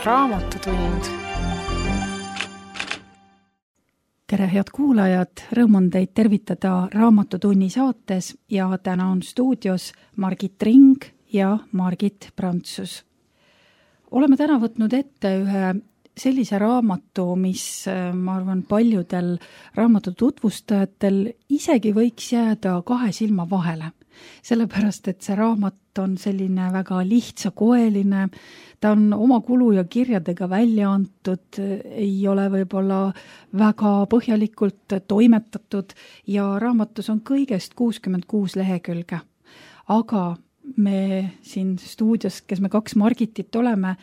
Raamatutund. Tere, head kuulajad! Rõõm on teid tervitada Raamatutunni saates ja täna on stuudios Margit Ring ja Margit Prantsus. Oleme täna võtnud ette ühe sellise raamatu, mis, ma arvan, paljudel raamatu tutvustajatel isegi võiks jääda kahe silma vahele. Sellepärast, et see raamat on selline väga lihtsakoeline, ta on oma kulu ja kirjadega välja antud, ei ole võib-olla väga põhjalikult toimetatud ja raamatus on kõigest 66 lehekülge. Aga me siin stuudios, kes me kaks Margitit oleme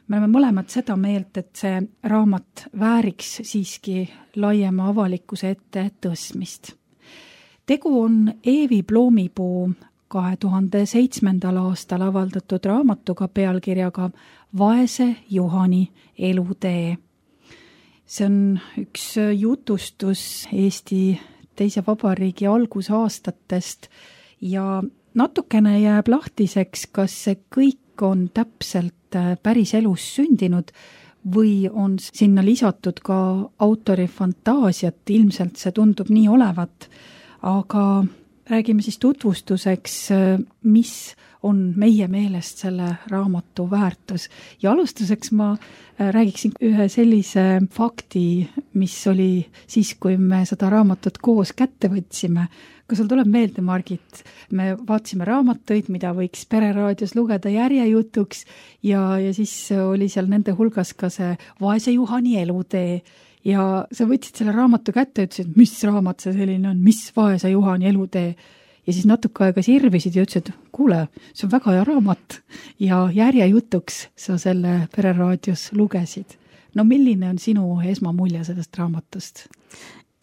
mõlemad seda meelt, et see raamat vääriks siiski laiema avalikkuse ette tõstmist. Tegu on Eevi Ploomipuu 2007. aastal avaldatud raamatuga pealkirjaga Vaese Juhani elutee. See on üks jutustus Eesti teise vabariigi algusaastatest ja natukene jääb lahtiseks, kas see kõik on täpselt päris elus sündinud või on sinna lisatud ka autori fantaasiat, ilmselt see tundub nii olevat. Aga räägime siis tutvustuseks, mis on meie meelest selle raamatu väärtus. Ja alustuseks ma räägiksin ühe sellise fakti, mis oli siis, kui me seda raamatut koos kätte võtsime. Kas sul tuleb meelde, Margit? Me vaatasime raamatuid, mida võiks Pereraadios lugeda järjejutuks ja siis oli seal nende hulgas ka see Vaese Juhani elutee. Ja sa võtsid selle raamatu kätte ja ütlesid, mis raamat see selline on, mis Vaese Juhani elutee. Ja siis natuke aega sirvisid ja ütlesid, kuule, see on väga hea raamat. Ja järjejutuks sa selle Pereraadios lugesid. No milline on sinu esmamulje sellest raamatust?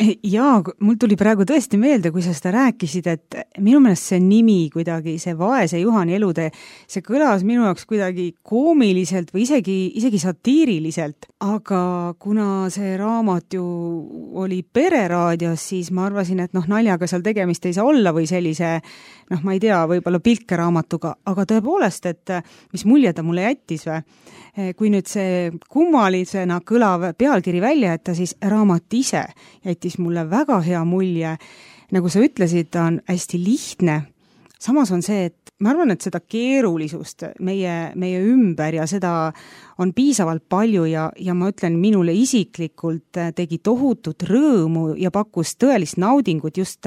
Jaa, mul tuli praegu tõesti meelde, kui sa seda rääkisid, et minu meelest see nimi kuidagi, see Vaese Juhani elutee, see kõlas minu jaoks kuidagi koomiliselt või isegi satiiriliselt, aga kuna see raamat ju oli Pereraadios, siis ma arvasin, et naljaga seal tegemist ei saa olla või sellise, ma ei tea, võib-olla pilkeraamatuga, aga tõepoolest, et mis mulje ta mulle jättis või? Kui nüüd see kummalisena kõlav pealkiri välja jätta, siis raamat ise jättis mulle väga hea mulje. Nagu sa ütlesid, ta on hästi lihtne. Samas on see, et ma arvan, et seda keerulisust meie ümber ja seda on piisavalt palju ja ma ütlen, minule isiklikult tegi tohutut rõõmu ja pakkus tõelist naudingut just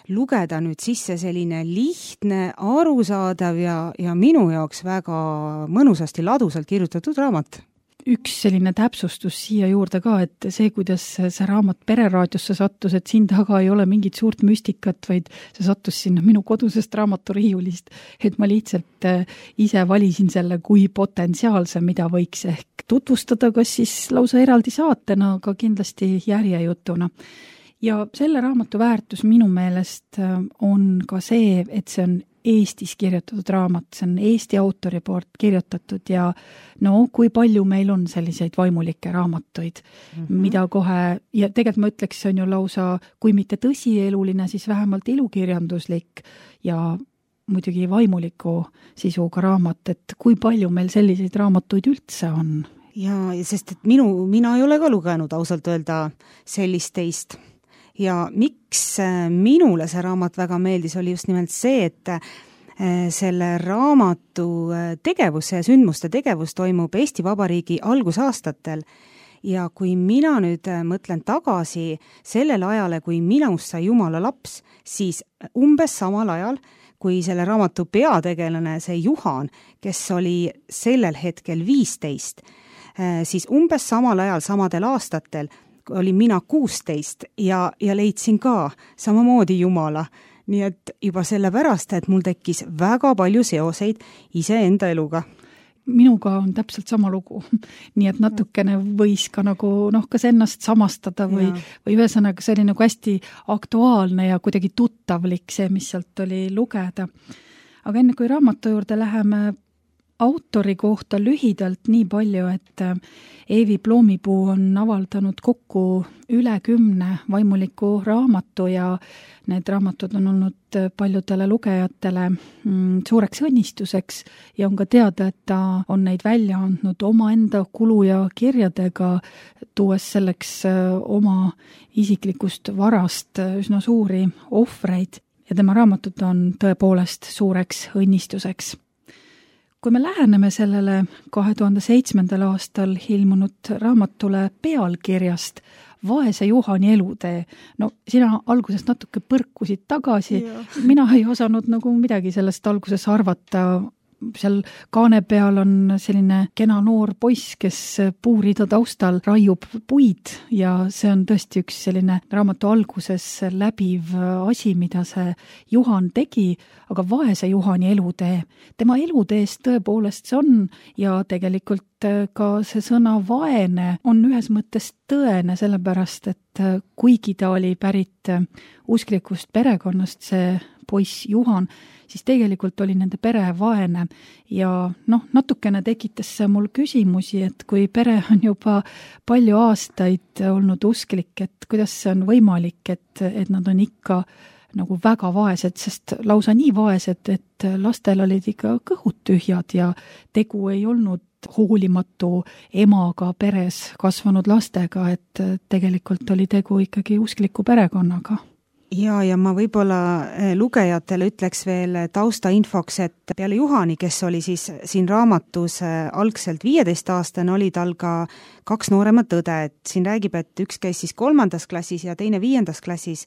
lugeda nüüd sisse selline lihtne, arusaadav ja minu jaoks väga mõnusasti ladusalt kirjutatud raamat. Üks selline täpsustus siia juurde ka, et see, kuidas see raamat Pereraadiosse sattus, et siin taga ei ole mingit suurt müstikat, vaid see sattus sinna minu kodusest raamaturiiulist, et ma lihtsalt ise valisin selle kui potentsiaalse, mida võiks ehk tutvustada, kas siis lausa eraldi saatena, aga kindlasti järjejutuna. Ja selle raamatu väärtus minu meelest on ka see, et see on Eestis kirjutatud raamat, see on Eesti autori poolt kirjutatud ja kui palju meil on selliseid vaimulikke raamatuid, mida kohe, ja tegelikult ma ütleks, see on ju lausa, kui mitte tõsieluline, siis vähemalt ilukirjanduslik ja muidugi vaimuliku sisuga raamat, et kui palju meil selliseid raamatuid üldse on? Ja sest et mina ei ole ka lugenud ausalt öelda sellist teist. Ja miks minule see raamat väga meeldis, oli just nimelt see, et selle raamatu tegevus ja sündmuste tegevus toimub Eesti Vabariigi algusaastatel ja kui mina nüüd mõtlen tagasi sellele ajale, kui minust sai Jumala laps, siis umbes samal ajal, kui selle raamatu peategelane, see Juhan, kes oli sellel hetkel 15, siis umbes samal ajal, samadel aastatel oli mina 16 ja leidsin ka samamoodi Jumala. Nii et juba sellepärast, et mul tekkis väga palju seoseid iseenda eluga. Minuga on täpselt sama lugu. Nii et natukene võis ka nagu, kas ennast samastada või ühesõnaga see oli nagu hästi aktuaalne ja kuidagi tuttavlik see, mis sealt oli lugeda. Aga enne kui raamatu juurde läheme, autori kohta lühidalt nii palju, et Eevi Ploomipuu on avaldanud kokku üle 10 vaimuliku raamatu ja need raamatud on olnud paljudele lugejatele suureks õnnistuseks ja on ka teada, et ta on neid välja andnud omaenda kulu ja kirjadega, tuues selleks oma isiklikust varast üsna suuri ohvreid ja tema raamatud on tõepoolest suureks õnnistuseks. Kui me läheneme sellele 2007. aastal ilmunud raamatule pealkirjast Vaese Juhani elutee, no sina alguses natuke põrkusid tagasi, mina ei osanud nagu midagi sellest alguses arvata. Seal kaane peal on selline kena noor poiss, kes puurida taustal raiub puid ja see on tõesti üks selline raamatu alguses läbiv asi, mida see Juhan tegi, aga vaese Juhani elutee. Tema eluteest tõepoolest see on ja tegelikult ka see sõna vaene on ühes mõttes tõene, sellepärast et kuigi ta oli pärit usklikust perekonnast, see poiss Juhan, siis tegelikult oli nende pere vaene ja natukene tekitas see mul küsimusi, et kui pere on juba palju aastaid olnud usklik, et kuidas see on võimalik, et nad on ikka nagu väga vaesed, sest lausa nii vaesed, et lastel olid ikka kõhud tühjad ja tegu ei olnud hoolimatu emaga peres kasvanud lastega, et tegelikult oli tegu ikkagi uskliku perekonnaga. Ja ma võib-olla lugejatele ütleks veel taustainfoks, et peale Juhani, kes oli siis siin raamatus algselt 15-aastane, oli tal ka 2 nooremat õde, et siin räägib, et üks käis siis 3. klassis ja teine 5. klassis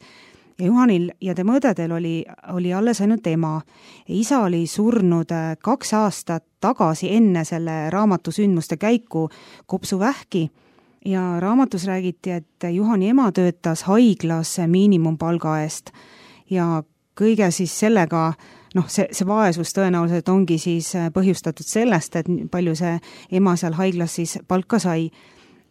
ja Juhanil ja tema õdedel oli alles ainult ema. Isa oli surnud 2 aastat tagasi enne selle raamatu sündmuste käiku kopsuvähki. Ja raamatus räägiti, et Juhani ema töötas haiglas miinimumpalga eest ja kõige siis sellega, see vaesus tõenäoliselt ongi siis põhjustatud sellest, et palju see ema seal haiglas siis palka sai.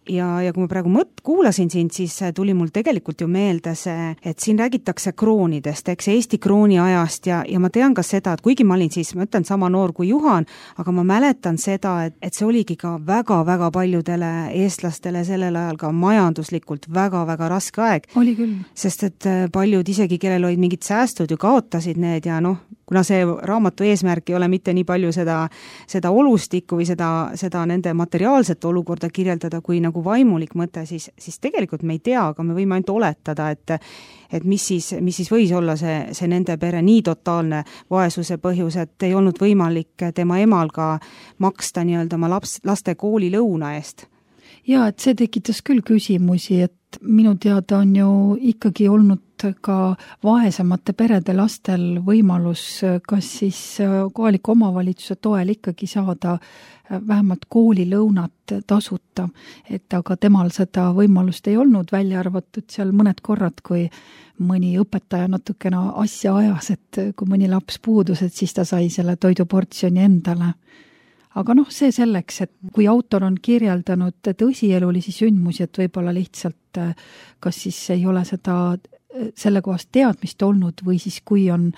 Ja kui ma praegu kuulasin sind, siis tuli mul tegelikult ju meelde see, et siin räägitakse kroonidest, eks Eesti krooni ajast ja ma tean ka seda, et kuigi ma olin siis, ma ütlen, sama noor kui Juhan, aga ma mäletan seda, et see oligi ka väga-väga paljudele eestlastele sellel ajal ka majanduslikult väga-väga raske aeg. Oli küll. Sest et paljud isegi, kellel olid mingid säästud ju kaotasid need ja kuna see raamatu eesmärk ei ole mitte nii palju seda olustikku või seda nende materiaalset olukorda kirjeldada, kui nagu vaimulik mõte, siis tegelikult me ei tea, aga me võime ainult oletada, et mis siis võis olla see nende pere nii totaalne vaesuse põhjus, et ei olnud võimalik tema emal ka maksta nii-öelda oma laste koolilõuna eest. Ja, et see tekitas küll küsimusi, et minu teada on ju ikkagi olnud ka vaesemate perede lastel võimalus kas siis kohaliku omavalitsuse toel ikkagi saada vähemalt koolilõunat tasuta, et aga temal seda võimalust ei olnud, välja arvatud seal mõned korrad, kui mõni õpetaja natukene asja ajas, et kui mõni laps puudus, et siis ta sai selle toiduportsjoni endale. Aga see selleks, et kui autor on kirjeldanud tõsielulisi sündmusi, et võib-olla lihtsalt kas siis ei ole selle kohast teadmist olnud või siis kui on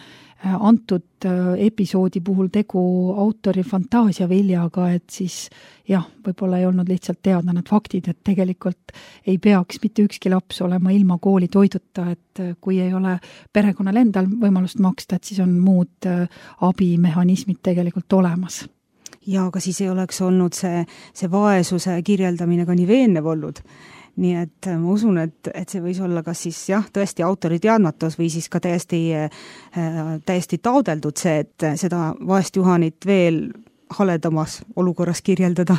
antud episoodi puhul tegu autori fantaasiaviljaga, et siis jah, võib-olla ei olnud lihtsalt teada need faktid, et tegelikult ei peaks mitte ükski laps olema ilma kooli toiduta, et kui ei ole perekonnal endal võimalust maksta, et siis on muud abimehhanismid tegelikult olemas. Ja aga siis ei oleks olnud see vaesuse kirjeldamine ka nii veenev olnud. Nii et ma usun, et see võis olla kas siis tõesti autori teadmatus või siis ka täiesti taodeldud see, et seda vaest Juhanit veel haledamas olukorras kirjeldada.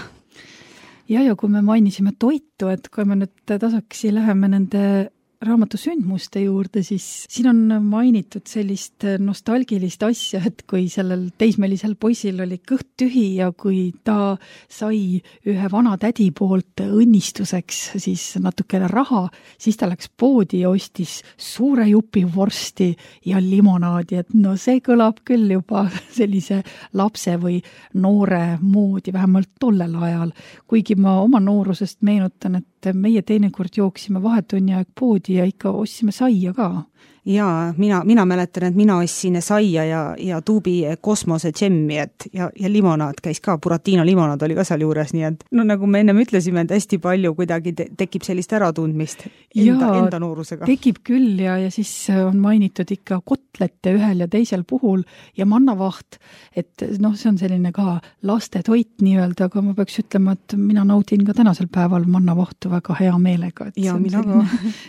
Ja kui me mainisime toitu, et kui me nüüd tasakesi läheme nende raamatu sündmuste juurde, siis siin on mainitud sellist nostalgilist asja, et kui sellel teismelisel poisil oli kõht tühi ja kui ta sai ühe vana tädi poolt õnnistuseks siis natukene raha, siis ta läks poodi ja ostis suure jupi vorsti ja limonaadi, et see kõlab küll juba sellise lapse või noore moodi, vähemalt tollel ajal. Kuigi ma oma noorusest meenutan, et meie teinekord jooksime vahetunni aeg poodi ja ikka ostsime saia ka. Jaa, mina mäletan, et mina ostsin saia ja tuubi kosmose džemmi, ja limonaad käis ka, Buratino limonaad oli ka seal juures, nii et no nagu me ennem ütlesime, et hästi palju kuidagi tekib sellist äratundmist enda noorusega. Tekib küll ja siis on mainitud ikka kotlette ühel ja teisel puhul ja mannavaht, et noh, see on selline ka lastetoit nii-öelda, aga ma peaks ütlema, et mina naudin ka tänasel päeval mannavahtu väga hea meelega, et ja,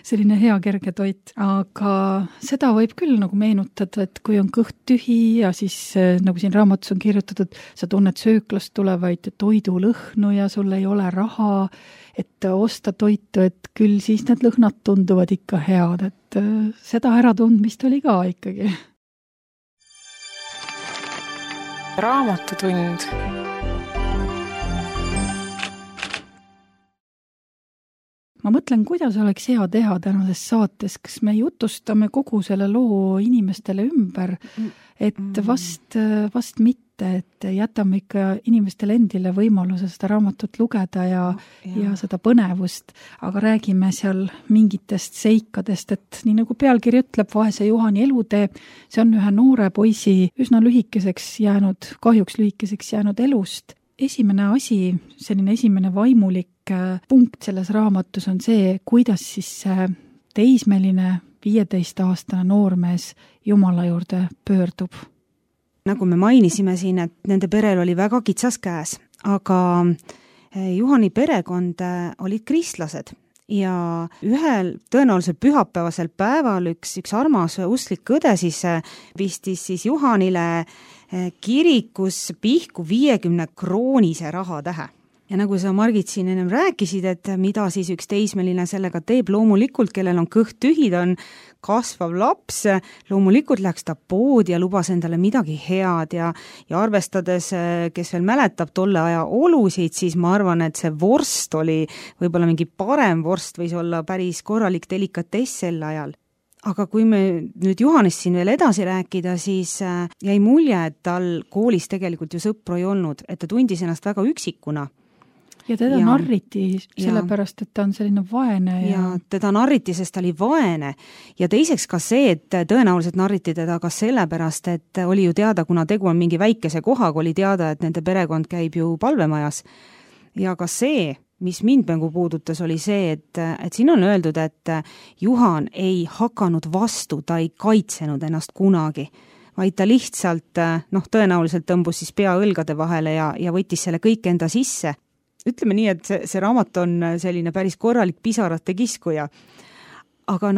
selline hea kerge toit, aga seda võib küll nagu meenutada, et kui on kõht tühi ja siis nagu siin raamatus on kirjutatud, sa tunned sööklast tulevaid toidulõhnu ja sul ei ole raha, et osta toitu, et küll siis need lõhnad tunduvad ikka head, et seda äratundmist oli ka ikkagi. Raamatutund. Ma mõtlen, kuidas oleks hea teha tänases saates, kas me jutustame kogu selle loo inimestele ümber, et vast mitte, et jätame ikka inimestele endile võimaluse seda raamatut lugeda ja seda põnevust, aga räägime seal mingitest seikadest, et nii nagu pealkiri ütleb, Vaese Juhani elutee, see on ühe noore poisi üsna kahjuks lühikeseks jäänud elust. Esimene asi, selline esimene vaimulik punkt selles raamatus on see, kuidas siis see teismeline 15-aastane noormees Jumala juurde pöördub. Nagu me mainisime siin, et nende perel oli väga kitsas käes, aga Juhani perekond olid kristlased ja ühel tõenäoliselt pühapäevasel päeval üks armas usklik õde siis pistis siis Juhanile kirikus pihku 50 kroonise rahatähe. Ja nagu sa, Margit, siin ennem rääkisid, et mida siis üks teismeline sellega teeb, loomulikult, kellel on kõht tühi, ta on kasvav laps, loomulikult läks ta poodi ja lubas endale midagi head ja arvestades, kes veel mäletab tolle aja olusid, siis ma arvan, et see vorst oli võib-olla mingi parem vorst, võis olla päris korralik delikatess sel ajal. Aga kui me nüüd Juhanist siin veel edasi rääkida, siis jäi mulje, et tal koolis tegelikult ju sõpru ei olnud, et ta tundis ennast väga üksikuna. Ja teda narriti sellepärast, et ta on selline vaene. Ja teda narriti, sest ta oli vaene. Ja teiseks ka see, et tõenäoliselt narriti teda ka sellepärast, et oli ju teada, kuna tegu on mingi väikese kohaga, oli teada, et nende perekond käib ju palvemajas. Ja ka see, mis mind mängu puudutas, oli see, et siin on öeldud, et Juhan ei hakanud vastu, ta ei kaitsenud ennast kunagi, vaid ta lihtsalt, tõenäoliselt tõmbus siis pea õlgade vahele ja võttis selle kõik enda sisse. Ütleme nii, et see raamat on selline päris korralik pisarate kiskuja. Aga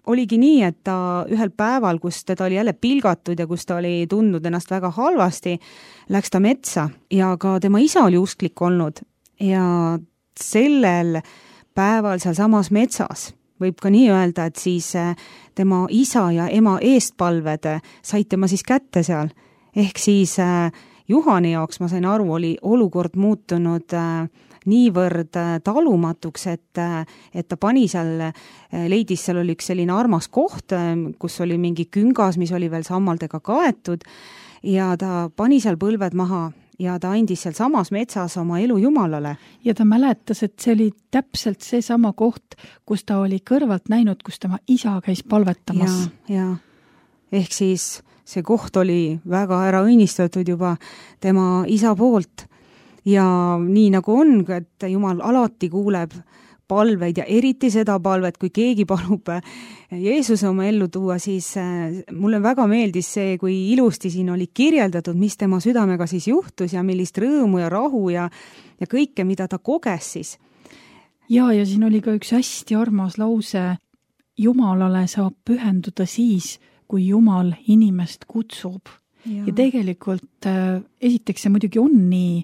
oligi nii, et ta ühel päeval, kus teda oli jälle pilgatud ja kus ta oli tundnud ennast väga halvasti, läks ta metsa ja ka tema isa oli usklik olnud ja sellel päeval seal samas metsas võib ka nii öelda, et siis tema isa ja ema eestpalved said tema siis kätte seal. Ehk siis Juhani jaoks, ma sain aru, oli olukord muutunud niivõrd talumatuks, et ta pani seal, leidis seal oli üks selline armas koht, kus oli mingi küngas, mis oli veel sammaldega kaetud ja ta pani seal põlved maha ja ta andis seal samas metsas oma elu Jumalale. Ja ta mäletas, et see oli täpselt see sama koht, kus ta oli kõrvalt näinud, kus tema isa käis palvetamas. Ja. Ehk siis see koht oli väga ära õnnistatud juba tema isa poolt ja nii nagu on, et Jumal alati kuuleb palveid ja eriti seda palvet, kui keegi palub Jeesuse oma ellu tuua, siis mulle väga meeldis see, kui ilusti siin oli kirjeldatud, mis tema südamega siis juhtus ja millist rõõmu ja rahu ja kõike, mida ta koges siis. Ja siin oli ka üks hästi armas lause, Jumalale saab pühenduda siis, kui Jumal inimest kutsub. Ja tegelikult esiteks see muidugi on nii,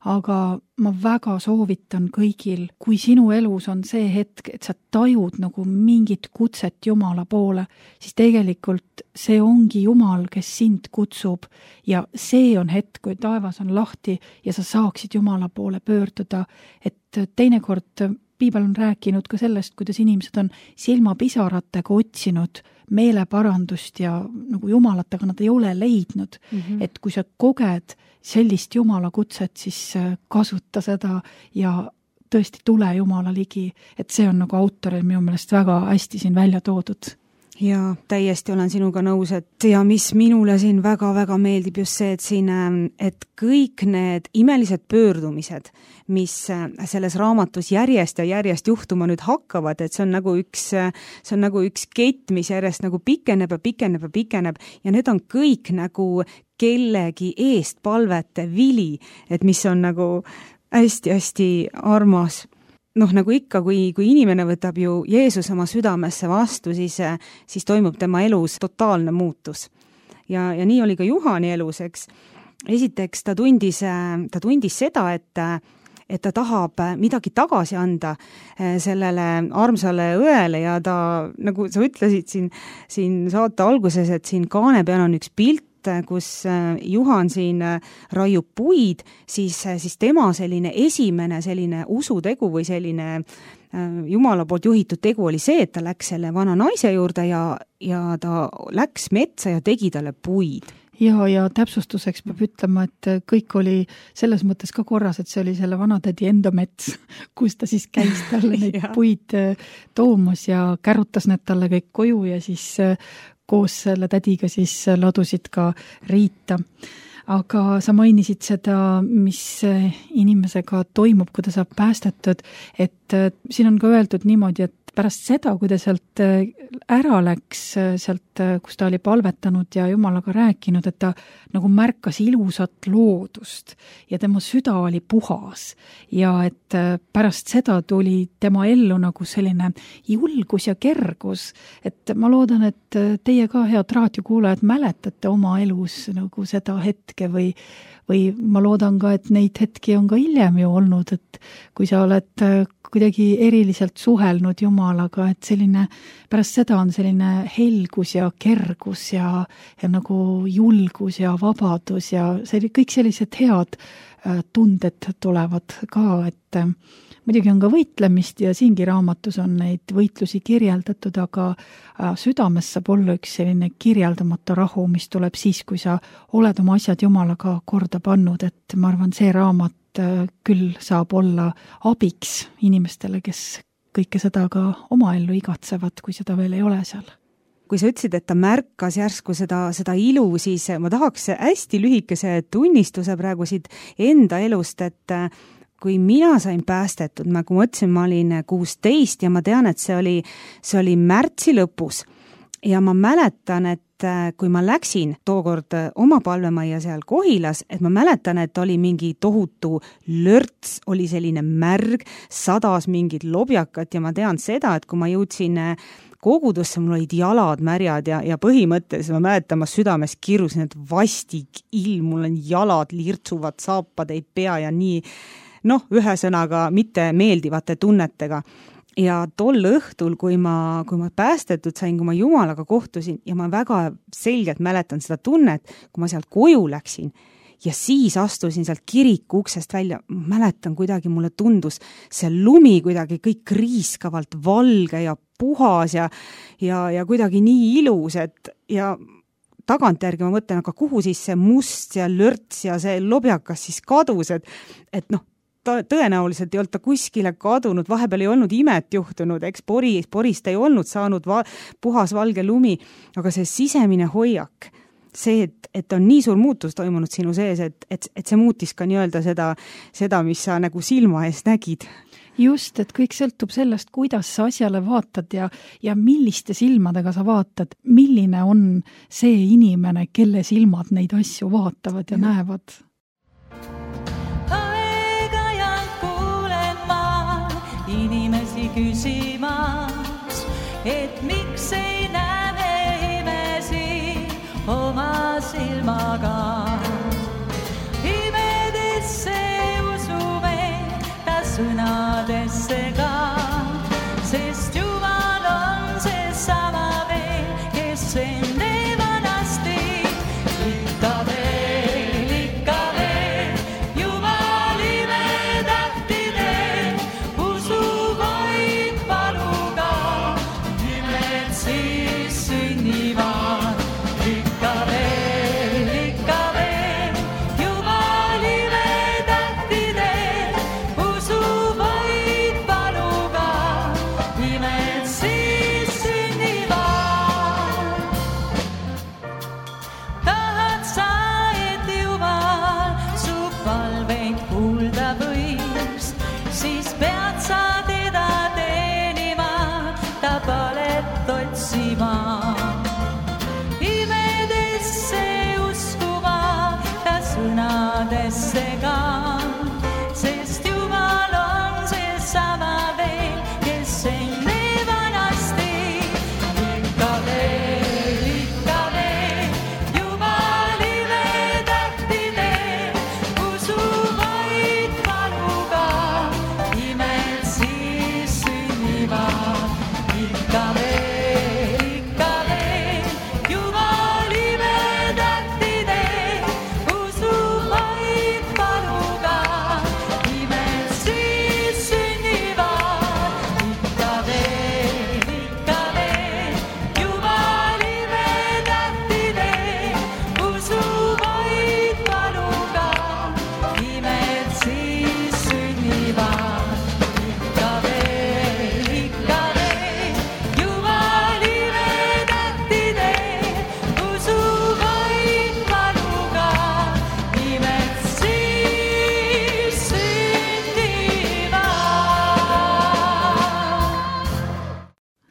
aga ma väga soovitan kõigil, kui sinu elus on see hetk, et sa tajud nagu mingit kutset Jumala poole, siis tegelikult see ongi Jumal, kes sind kutsub ja see on hetk, kui taevas on lahti ja sa saaksid Jumala poole pöörduda, et teinekord Piibel on rääkinud ka sellest, kuidas inimesed on silmapisaratega otsinud meeleparandust ja nagu Jumalat, aga nad ei ole leidnud. Et kui sa koged sellist Jumala kutset, siis kasuta seda ja tõesti tule Jumala ligi. Et see on nagu autoril minu meelest väga hästi siin välja toodud. Ja täiesti olen sinuga nõus, et ja mis minule siin väga-väga meeldib just see, et siin, et kõik need imelised pöördumised, mis selles raamatus järjest ja järjest juhtuma nüüd hakkavad, et see on nagu üks kett, mis järjest nagu pikeneb ja pikeneb ja pikeneb ja need on kõik nagu kellegi eest palvete vili, et mis on nagu hästi-hästi armas. Noh, nagu ikka, kui inimene võtab ju Jeesus oma südamesse vastu, siis toimub tema elus totaalne muutus. Ja nii oli ka Juhani elus, eks. Esiteks ta tundis seda, et ta tahab midagi tagasi anda sellele armsale õele ja ta, nagu sa ütlesid siin saate alguses, et siin kaane peal on üks pilt, kus Juhan siin raiub puid, siis tema selline esimene selline usutegu või selline Jumala poolt juhitud tegu oli see, et ta läks selle vana naise juurde ja ta läks metsa ja tegi talle puid. Ja täpsustuseks peab ütlema, et kõik oli selles mõttes ka korras, et see oli selle vanatädi enda mets, kus ta siis käis talle neid puid toomas ja kärutas need talle kõik koju ja siis koos selle tädiga siis ladusid ka riita. Aga sa mainisid seda, mis inimesega toimub, kui ta saab päästetud, et siin on ka öeldud niimoodi, et pärast seda, kui ta sealt ära läks, sealt, kus ta oli palvetanud ja Jumalaga rääkinud, et ta nagu märkas ilusat loodust ja tema süda oli puhas ja et pärast seda tuli tema ellu nagu selline julgus ja kergus, et ma loodan, et teie ka, head raadiokuulajad, mäletate oma elus nagu seda hetke või ma loodan ka, et neid hetki on ka hiljem ju olnud, et kui sa oled kuidagi eriliselt suhelnud Jumalaga, et selline, pärast seda on selline helgus ja kergus ja nagu julgus ja vabadus ja kõik sellised head tunded tulevad ka, et muidugi on ka võitlemist ja siingi raamatus on neid võitlusi kirjeldatud, aga südames saab olla üks selline kirjeldamatu rahu, mis tuleb siis, kui sa oled oma asjad Jumalaga korda pannud, et ma arvan, see raamat küll saab olla abiks inimestele, kes kõike seda ka oma ellu igatsevad, kui seda veel ei ole seal. Kui sa ütlesid, et ta märkas järsku seda ilu, siis ma tahaks hästi lühikese tunnistuse praegu siit enda elust, et kui mina sain päästetud, nagu ma ütlesin, ma olin 16 ja ma tean, et see oli märtsi lõpus ja ma mäletan, et kui ma läksin tookord oma palvemajja seal Kohilas, et ma mäletan, et oli mingi tohutu lörts, oli selline märg, sadas mingid lobjakat ja ma tean seda, et kui ma jõudsin kogudusse, mul olid jalad märjad ja põhimõtteliselt ma mäletan, ma südames kirusin, et vastik ilm, mul on jalad lirtsuvad, saapad ei pea ja nii, ühesõnaga mitte meeldivate tunnetega. Ja tol õhtul, kui ma päästetud sain, kui ma Jumalaga kohtusin ja ma väga selgelt mäletan seda tunnet, kui ma sealt koju läksin ja siis astusin sealt kiriku uksest välja, mäletan kuidagi mulle tundus see lumi kuidagi kõik kriiskavalt valge ja puhas ja kuidagi nii ilus, et ja tagantjärgi ma mõtlen, aga kuhu siis see must ja lörts ja see lobjakas siis kadus, et tõenäoliselt ei olnud ta kuskile kadunud, vahepeal ei olnud imet juhtunud, eks porist ei olnud saanud puhas valge lumi, aga see sisemine hoiak, see, et on nii suur muutus toimunud sinu sees, et see muutis ka nii-öelda seda, mis sa nagu silma ees nägid. Just, et kõik sõltub sellest, kuidas sa asjale vaatad ja milliste silmadega sa vaatad, milline on see inimene, kelle silmad neid asju vaatavad ja näevad. Küsimas, et miks ei näe me imesi oma silmaga. Imedesse usume ta sõnadesse ka, sest Jumal on see sama veel, kes enne vanasti ikka veel. Ime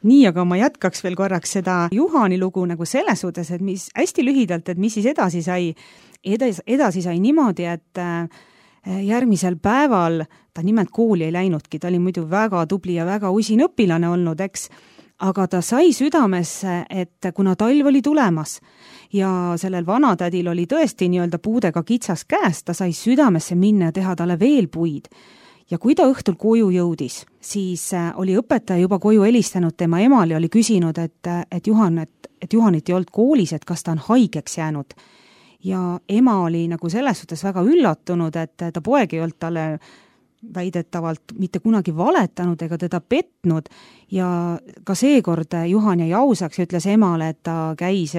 nii, aga ma jätkaks veel korraks seda Juhani lugu nagu selles suhtes, et mis hästi lühidalt, et mis siis edasi sai. Edasi sai niimoodi, et järgmisel päeval ta nimelt kooli ei läinudki, ta oli muidu väga tubli ja väga usin õpilane olnud, eks, aga ta sai südamesse, et kuna talv oli tulemas ja sellel vanatädil oli tõesti nii-öelda puudega kitsas käes, ta sai südamesse minna ja teha talle veel puid. Ja kui ta õhtul koju jõudis, siis oli õpetaja juba koju helistanud tema emale ja oli küsinud, et Juhanit ei olnud koolis, et kas ta on haigeks jäänud. Ja ema oli nagu selles suhtes väga üllatunud, et ta poeg ei olnud talle väidetavalt mitte kunagi valetanud ega teda petnud ja ka seekord Juhan jäi ausaks ja ütles emale, et ta käis,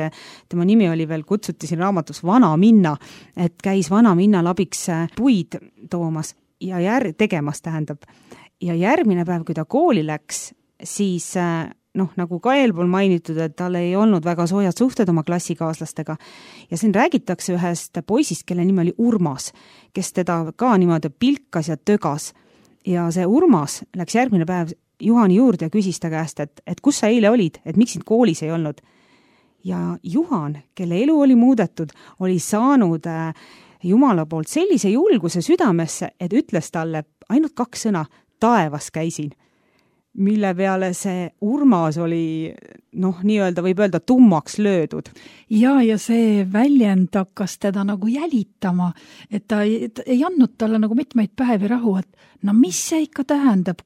tema nimi oli veel, kutsuti siin raamatus Vana Minna, et käis Vana Minnal abiks puid toomas ja tegemas tähendab. Ja järgmine päev, kui ta kooli läks, siis nagu ka eelpool mainitud, et tal ei olnud väga soojad suhted oma klassikaaslastega. Ja siin räägitakse ühest poisist, kelle nimi oli Urmas, kes teda ka niimoodi pilkas ja tögas. Ja see Urmas läks järgmine päev Juhani juurde ja küsis ta käest, et kus sa eile olid, et miks sind koolis ei olnud. Ja Juhan, kelle elu oli muudetud, oli saanud Jumala poolt sellise julguse südamesse, et ütles talle ainult 2 sõna, taevas käisin. Mille peale see Urmas oli, nii-öelda võib öelda tummaks löödud. Ja see väljend hakkas teda nagu jälitama, et ta ei andnud talle nagu mitmeid päevi rahu, et mis see ikka tähendab,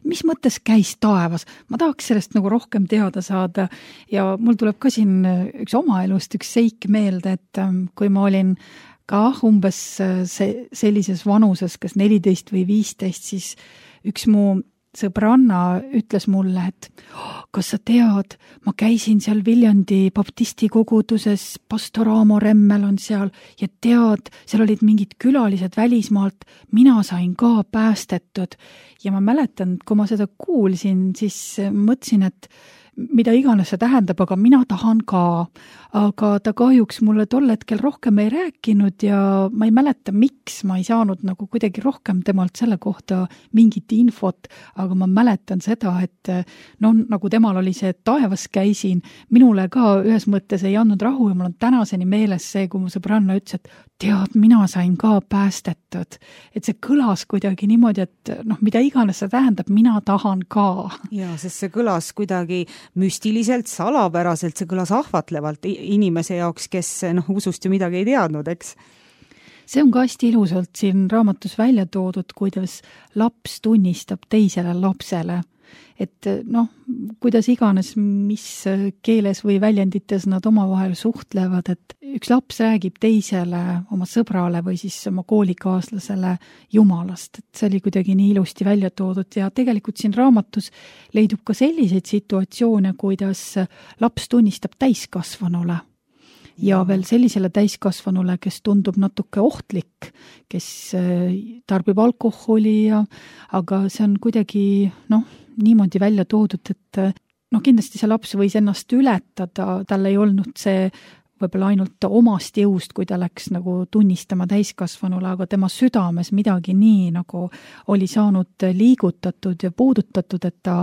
mis mõttes käis taevas? Ma tahaks sellest nagu rohkem teada saada ja mul tuleb ka siin üks oma elust üks seik meelde, et kui ma olin ka umbes sellises vanuses, kas 14 või 15, siis üks mu sõbranna ütles mulle, et kas sa tead, ma käisin seal Viljandi baptisti koguduses, pastor Aamo Remmel on seal ja tead, seal olid mingid külalised välismaalt, mina sain ka päästetud. Ja ma mäletan, kui ma seda kuulsin, siis mõtlesin, et mida iganes see tähendab, aga mina tahan ka. Aga ta kahjuks mulle tol hetkel rohkem ei rääkinud ja ma ei mäleta, miks ma ei saanud nagu kuidagi rohkem temalt selle kohta mingit infot, aga ma mäletan seda, et nagu temal oli see, et taevas käisin, minule ka ühes mõttes ei andnud rahu ja mul on tänaseni meeles see, kui mu sõbranna ütles, et tead, mina sain ka päästetud. Et see kõlas kuidagi niimoodi, et mida iganes see tähendab, mina tahan ka. Ja, sest see kõlas kuidagi müstiliselt, salapäraselt, see kõlas ahvatlevalt inimese jaoks, kes usust ju midagi ei teadnud, eks? See on ka hästi ilusalt siin raamatus välja toodud, kuidas laps tunnistab teisele lapsele. Et kuidas iganes, mis keeles või väljendites nad omavahel suhtlevad, et üks laps räägib teisele, oma sõbrale või siis oma koolikaaslasele Jumalast. Et see oli kuidagi nii ilusti välja toodud ja tegelikult siin raamatus leidub ka selliseid situatsioone, kuidas laps tunnistab täiskasvanule. Ja veel sellisele täiskasvanule, kes tundub natuke ohtlik, kes tarbib alkoholi, aga see on kuidagi niimoodi välja toodud, et kindlasti see laps võis ennast ületada, tal ei olnud see võib-olla ainult omast jõust, kui ta läks nagu tunnistama täiskasvanule, aga tema südames midagi nii nagu oli saanud liigutatud ja puudutatud, et ta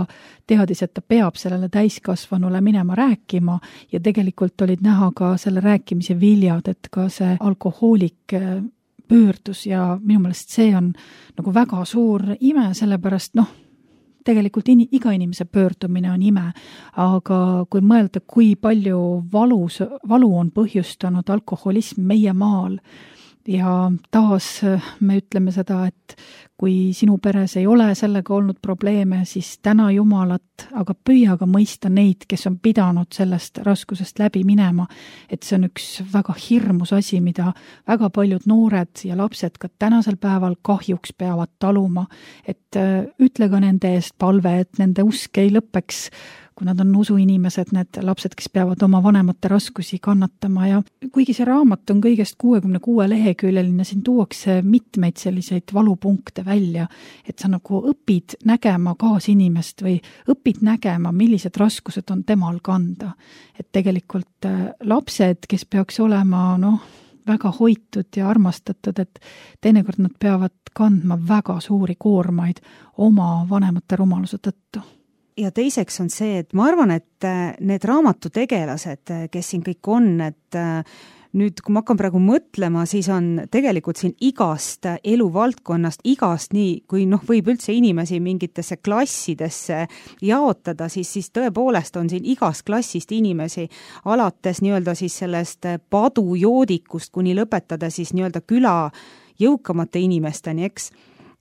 teadis, et ta peab sellele täiskasvanule minema rääkima ja tegelikult olid näha ka selle rääkimise viljad, et ka see alkohoolik pöördus ja minu meelest see on nagu väga suur ime, sellepärast tegelikult iga inimese pöördumine on ime, aga kui mõelda, kui palju valu on põhjustanud alkoholism meie maal ja taas me ütleme seda, et kui sinu peres ei ole sellega olnud probleeme, siis täna Jumalat, aga püüa ka mõista neid, kes on pidanud sellest raskusest läbi minema, et see on üks väga hirmus asi, mida väga paljud noored ja lapsed ka tänasel päeval kahjuks peavad taluma, et ütle ka nende eest palve, et nende usk ei lõpeks, kui nad on usuinimesed, need lapsed, kes peavad oma vanemate raskusi kannatama ja kuigi see raamat on kõigest 66 leheküljeline, siin tuuakse mitmeid selliseid valupunkte välja, et sa nagu õpid nägema kaasinimest või õpid nägema, millised raskused on temal kanda. Et tegelikult lapsed, kes peaks olema väga hoitud ja armastatud, et teinekord nad peavad kandma väga suuri koormaid oma vanemate rumaluse tõttu. ja teiseks on see, et ma arvan, et need raamatutegelased, kes siin kõik on, et nüüd, kui ma hakkan praegu mõtlema, siis on tegelikult siin igast eluvaldkonnast, igast nii, kui võib üldse inimesi mingitesse klassidesse jaotada, siis tõepoolest on siin igast klassist inimesi, alates nii-öelda siis sellest padujoodikust kuni lõpetada siis nii-öelda küla jõukamate inimesteni, eks.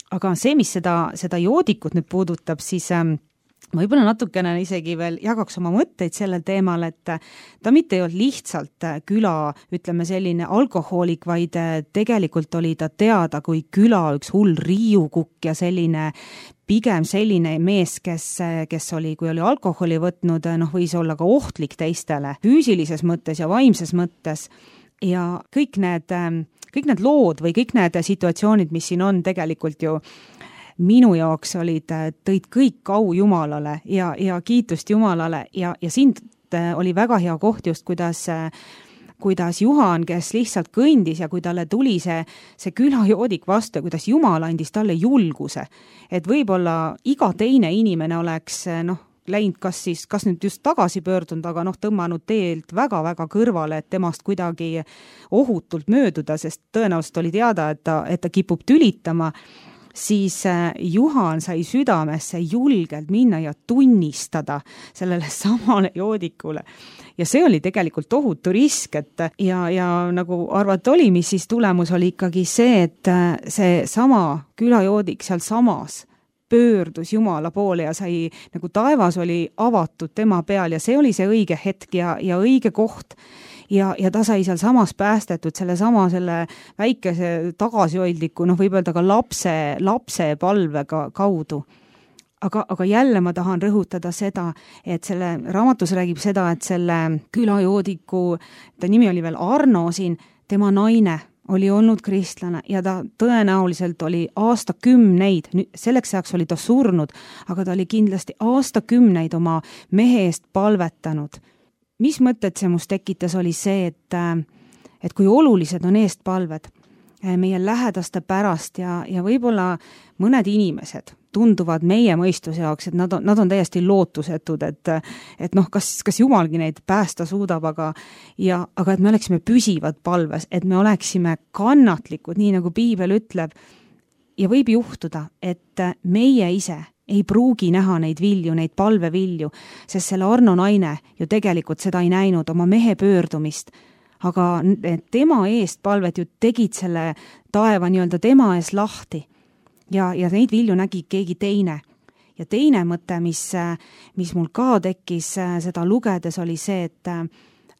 Aga see, mis seda joodikut nüüd puudutab, siis võib-olla natukene isegi veel jagaks oma mõtteid sellel teemal, et ta mitte ei olnud lihtsalt küla, ütleme selline alkohoolik, vaid tegelikult oli ta teada kui küla üks hull riiukukk ja pigem selline mees, kes oli, kui oli alkoholi võtnud, võis olla ka ohtlik teistele füüsilises mõttes ja vaimses mõttes. Ja kõik need lood või kõik need situatsioonid, mis siin on tegelikult ju minu jaoks tõid kõik au Jumalale ja kiitust Jumalale ja siin oli väga hea koht just, kuidas Juhan, kes lihtsalt kõndis ja kui talle tuli see külajoodik vastu ja kuidas Jumal andis talle julguse, et võib-olla iga teine inimene oleks läinud kas nüüd just tagasi pöördunud, aga tõmmanud teelt väga-väga kõrvale, et temast kuidagi ohutult mööduda, sest tõenäoliselt oli teada, et ta kipub tülitama, siis Juhan sai südamesse julgelt minna ja tunnistada sellele samale joodikule. Ja see oli tegelikult tohutu risk, et ja nagu arvata oli, mis siis tulemus oli ikkagi see, et see sama külajoodik seal samas pöördus Jumala poole ja sai, nagu taevas oli avatud tema peal ja see oli see õige hetk ja õige koht. Ja ta sai seal samas päästetud selle väikese tagasihoidliku, võib öelda ka lapse palvega kaudu. Aga jälle ma tahan rõhutada seda, et selle raamatus räägib seda, et selle külajoodiku, ta nimi oli veel Arno siin, tema naine oli olnud kristlane ja ta tõenäoliselt oli aastakümneid, selleks ajaks oli ta surnud, aga ta oli kindlasti aastakümneid oma mehe eest palvetanud. Mis mõtted see must tekitas oli see, et kui olulised on eestpalved meie lähedaste pärast ja võib-olla mõned inimesed tunduvad meie mõistuse jaoks, et nad on täiesti lootusetud, et kas Jumalgi neid päästa suudab, aga et me oleksime püsivad palves, et me oleksime kannatlikud, nii nagu Piibel ütleb, ja võib juhtuda, et meie ise ei pruugi näha neid vilju, neid palvevilju, sest selle Arno naine ju tegelikult seda ei näinud, oma mehe pöördumist, aga tema eest palvet ju tegid selle taeva nii-öelda tema ees lahti ja neid vilju nägi keegi teine. Ja teine mõte, mis mul ka tekkis seda lugedes, oli see, et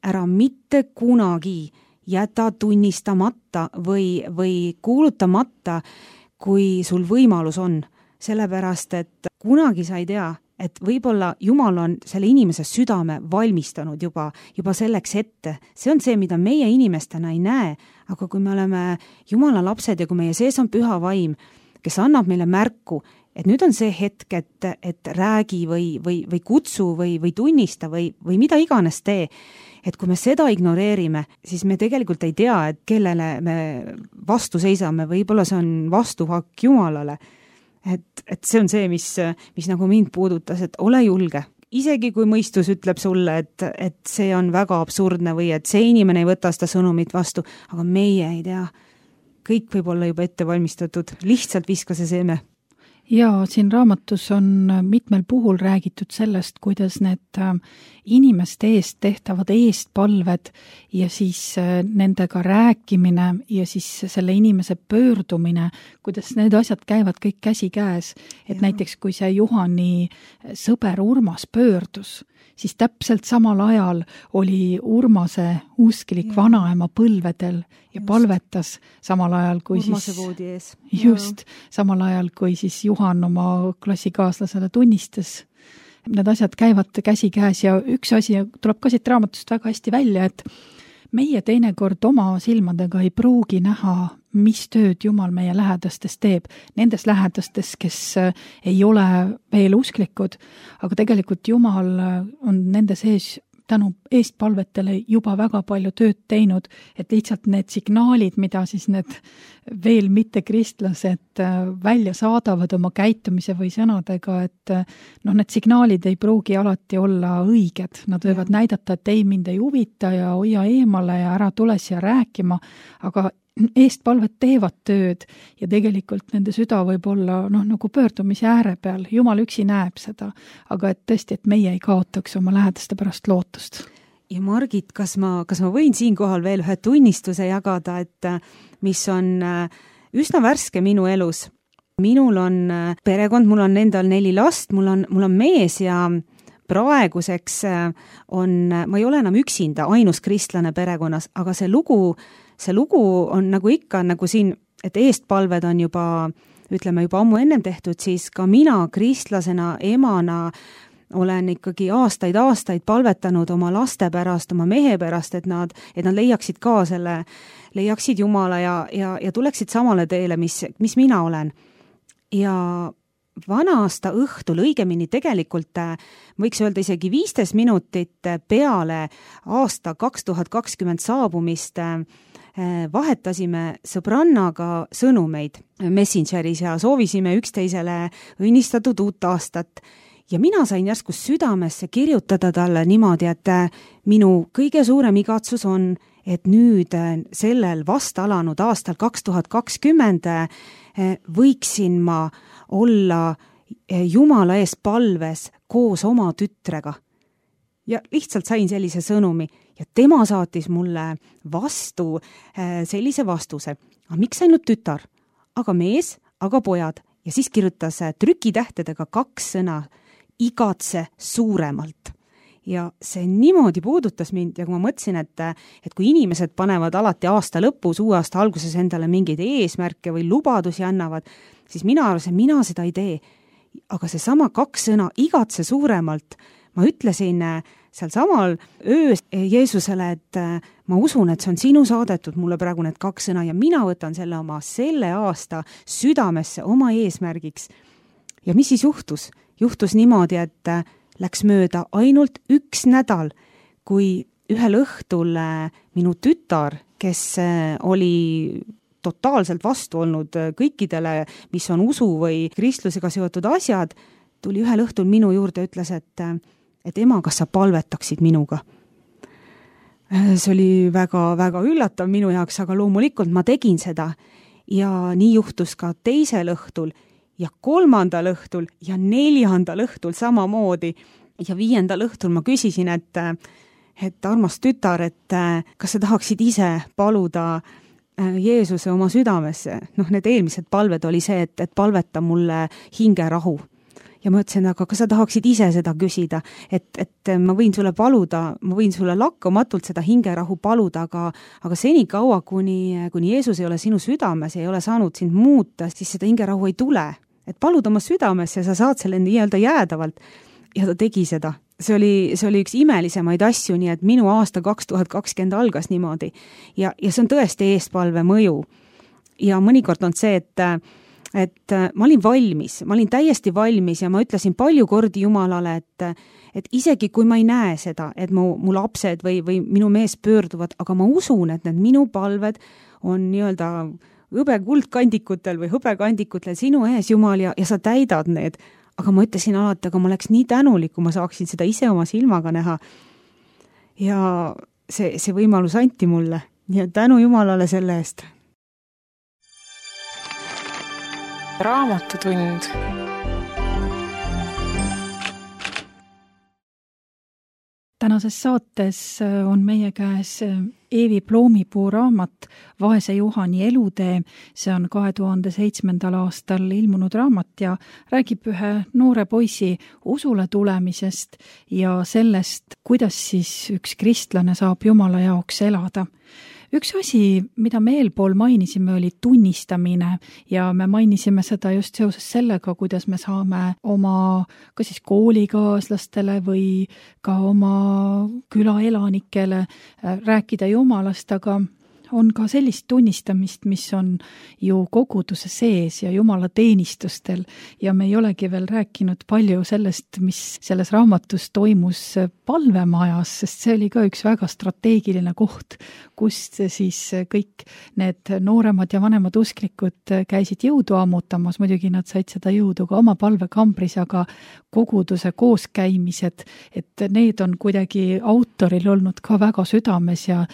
ära mitte kunagi jäta tunnistamata või kuulutamata, kui sul võimalus on. Sellepärast, et kunagi sa ei tea, et võib-olla Jumal on selle inimese südame valmistanud juba selleks ette. See on see, mida meie inimestena ei näe, aga kui me oleme Jumala lapsed ja kui meie sees on püha vaim, kes annab meile märku, et nüüd on see hetk, et räägi või kutsu või tunnista või mida iganes tee, et kui me seda ignoreerime, siis me tegelikult ei tea, et kellele me vastu seisame, võib-olla see on vastuhakk Jumalale. Et see on see, mis nagu mind puudutas, et ole julge. Isegi kui mõistus ütleb sulle, et see on väga absurdne või et see inimene ei võta seda sõnumit vastu, aga meie ei tea. Kõik võib olla juba ette valmistatud, lihtsalt viska see seeme. Ja siin raamatus on mitmel puhul räägitud sellest, kuidas need inimeste eest tehtavad eestpalved ja siis nendega rääkimine ja siis selle inimese pöördumine, kuidas need asjad käivad kõik käsi käes. Et näiteks kui see Juhani sõber Urmas pöördus, siis täpselt samal ajal oli Urmase usklik vanaema põlvedel ja palvetas samal ajal kui Urmase voodi ees. Just, samal ajal kui siis Juhan oma klassikaaslasele tunnistas. Need asjad käivad käsi käes ja üks asi tuleb ka siit raamatust väga hästi välja, et meie teinekord oma silmadega ei pruugi näha, mis tööd Jumal meie lähedastes teeb. Nendes lähedastes, kes ei ole veel usklikud, aga tegelikult Jumal on nende sees tänu eestpalvetele juba väga palju tööd teinud, et lihtsalt need signaalid, mida siis need veel mitte kristlased välja saadavad oma käitumise või sõnadega, et need signaalid ei pruugi alati olla õiged. Nad võivad näidata, et ei, mind ei huvita ja hoia eemale ja ära tule siia rääkima, aga eestpalvet teevad tööd ja tegelikult nende süda võib olla nagu pöördumise ääre peal. Jumal üksi näeb seda, aga et tõesti, et meie ei kaotaks oma lähedaste pärast lootust. Ja Margit, kas ma võin siinkohal veel ühe tunnistuse jagada, et mis on üsna värske minu elus. Minul on perekond, mul on endal 4 last, mul on mees ja praeguseks ma ei ole enam üksinda ainus kristlane perekonnas, aga see lugu on nagu ikka, nagu siin, et eestpalved on juba ammu ennem tehtud, siis ka mina kristlasena, emana olen ikkagi aastaid palvetanud oma laste pärast, oma mehe pärast, et nad leiaksid ka leiaksid Jumala ja tuleksid samale teele, mis mina olen. Ja vana-aasta õhtul, õigemini tegelikult võiks öelda isegi 15 minutit peale aasta 2020 saabumist vahetasime sõbrannaga sõnumeid Messengeris ja soovisime üksteisele õnnistatud uut aastat. Ja mina sain järsku südamesse kirjutada talle niimoodi, et minu kõige suurem igatsus on, et nüüd sellel vast alanud aastal 2020 võiksin ma olla Jumala ees palves koos oma tütrega. Ja lihtsalt sain sellise sõnumi ja tema saatis mulle vastu sellise vastuse. Aga miks ainult tütar? Aga mees, aga pojad. Ja siis kirjutas trükitähtedega 2 sõna, igatse suuremalt. Ja see niimoodi puudutas mind ja kui ma mõtlesin, et kui inimesed panevad alati aasta lõpus, uue aasta alguses endale mingeid eesmärke või lubadusi annavad, siis mina seda ei tee. Aga see sama 2 sõna, igatse suuremalt, ma ütlesin seal samal öös Jeesusele, et ma usun, et see on sinu saadetud mulle praegu need 2 sõna ja mina võtan selle aasta südamesse oma eesmärgiks. Ja mis siis juhtus? Juhtus niimoodi, et läks mööda ainult 1 nädal, kui ühel õhtul minu tütar, kes oli totaalselt vastu olnud kõikidele, mis on usu või kristlusega seotud asjad, tuli ühel õhtul minu juurde ja ütles, et ema, kas sa palvetaksid minuga? See oli väga üllatav minu jaoks, aga loomulikult ma tegin seda ja nii juhtus ka teisel õhtul ja 3. õhtul ja 4. õhtul samamoodi ja 5. õhtul ma küsisin, et armas tütar, et kas sa tahaksid ise paluda Jeesuse oma südamesse? Need eelmised palved oli see, et palveta mulle hingerahu. Ja ma ütlesin, aga kas sa tahaksid ise seda küsida, et ma võin sulle paluda, ma võin sulle lakkamatult seda hingerahu paluda, aga senikaua, kuni Jeesus ei ole sinu südames ja ei ole saanud sind muuta, siis seda hingerahu ei tule. Et palud oma südamesse ja sa saad selle nii-öelda jäädavalt. Ja ta tegi seda. See oli üks imelisemaid asju, nii et minu aasta 2020 algas niimoodi. Ja see on tõesti eestpalve mõju. Ja mõnikord on see, et ma olin valmis, ma olin täiesti valmis ja ma ütlesin palju kordi Jumalale, et isegi kui ma ei näe seda, et mu lapsed või minu mees pöörduvad, aga ma usun, et need minu palved on nii-öelda hõbekuldkandikutel või hõbekandikutel sinu ees, Jumal, ja sa täidad need. Aga ma ütlesin alati, aga ma oleks nii tänulik, kui ma saaksin seda ise oma silmaga näha. Ja see võimalus anti mulle. Nii et tänu Jumalale selle eest. Raamatutund. Tänases saates on meie käes Eevi Ploomipuu raamat Vaese Juhani elutee. See on 2007. aastal ilmunud raamat ja räägib ühe noore poisi usule tulemisest ja sellest, kuidas siis üks kristlane saab Jumala jaoks elada. Üks asi, mida me eelpool mainisime, oli tunnistamine ja me mainisime seda just seoses sellega, kuidas me saame oma kas siis koolikaaslastele või ka oma külaelanikele rääkida Jumalast, aga on ka sellist tunnistamist, mis on ju koguduse sees ja Jumala teenistustel ja me ei olegi veel rääkinud palju sellest, mis selles raamatus toimus palvemajas, sest see oli ka üks väga strateegiline koht, kust siis kõik need nooremad ja vanemad usklikud käisid jõudu ammutamas, muidugi nad said seda jõudu ka oma palvekambris, aga koguduse kooskäimised, et need on kuidagi autoril olnud ka väga südames ja